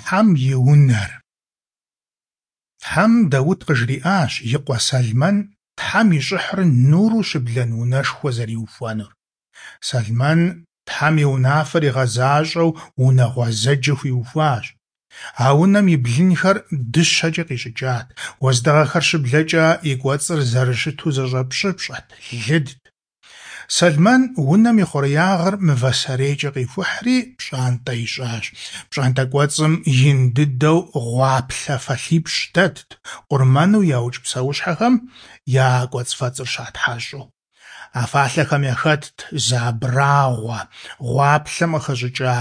Тхьэм и Унэр. Тхьэм Даут къыжриӀащ и къуэ Сэлмэн Тхьэм и щӀыхьыр нуру щыблэн унэшхуэ зэриухуэнур. Сэлмэн Тхьэм и унафэр игъэзащӀэу унэ гъуэзэджэ хуиухуащ. А унэм и блынхэр дыщэкӀэ къищӀыкӀат, уэздыгъэхэр щыблэкӀэ и кӀуэцӀыр зэрыщыту зэщӀэпщӀыпщӀэт, лыдт. Сэлмэн унэм и хъуреягъыр мывэ сэрейкӀэ къихухьри пщӀантӀэ ищӀащ. ПщӀантӀэ кӀуэцӀым ин дыдэу гъуаплъэ фалъипщӀ дэтт, къурмэну яукӀ псэущхьэхэм я кӀуэцӀфэцӀыр щатхьэщӀу. А фалъэхэм яхэтт зы абрагъуэ, гъуаплъэм къыхэщӀыкӀа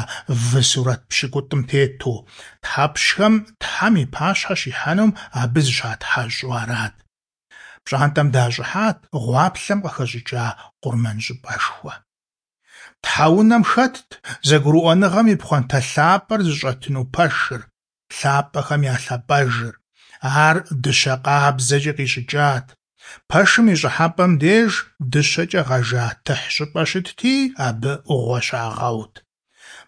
вы сурэт пщыкӀутӀым тету. Тхьэпщхэм Тхьэм и пащхьэ щихьэнум абы зыщатхьэщӀу арат. ПщӀантӀэм дащӀыхьат гъуаплъэм къыхэщӀыкӀа къурмэнщӀыпӀэшхуэ. Тхьэунэм хэтт зэгурыӀуэныгъэм и пхъуантэ лъапӀэр зыщӀэтыну пэшыр, лъапӀэхэм я лъапӀэжыр. Ар дыщэ къабзэкӀэ къищӀыкӀат. Пэшым и щӀыхьэпӀэм деж дыщэкӀэ гъэжа тыхь щӀыпӀэ щытти, абы Ӏугъуэ щагъэут.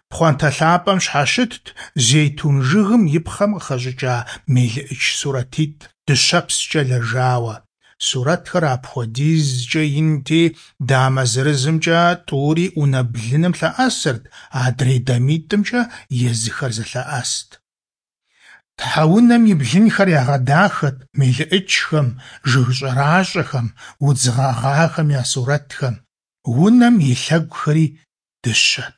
Пхъуантэ лъапӀэм щхьэщытт зейтун жыгым и пхъэм къыхэщӀыкӀа мелыӀыч сурэтитӀ дыщэпскӀэ лэжауэ. Сурэтхэр апхуэдизкӀэ инти, дамэ зырызымкӀэ тӀури унэ блыным лъэӀэсырт, адрей дамитӀымкӀэ езыхэр зэлъэӀэст. Тхьэунэм и блынхэр ягъэдахэт мелыӀычхэм, жыг щӀэращӀэхэм, удз гъэгъахэм я сурэтхэм. Унэм и лъэгухэри дыщэт.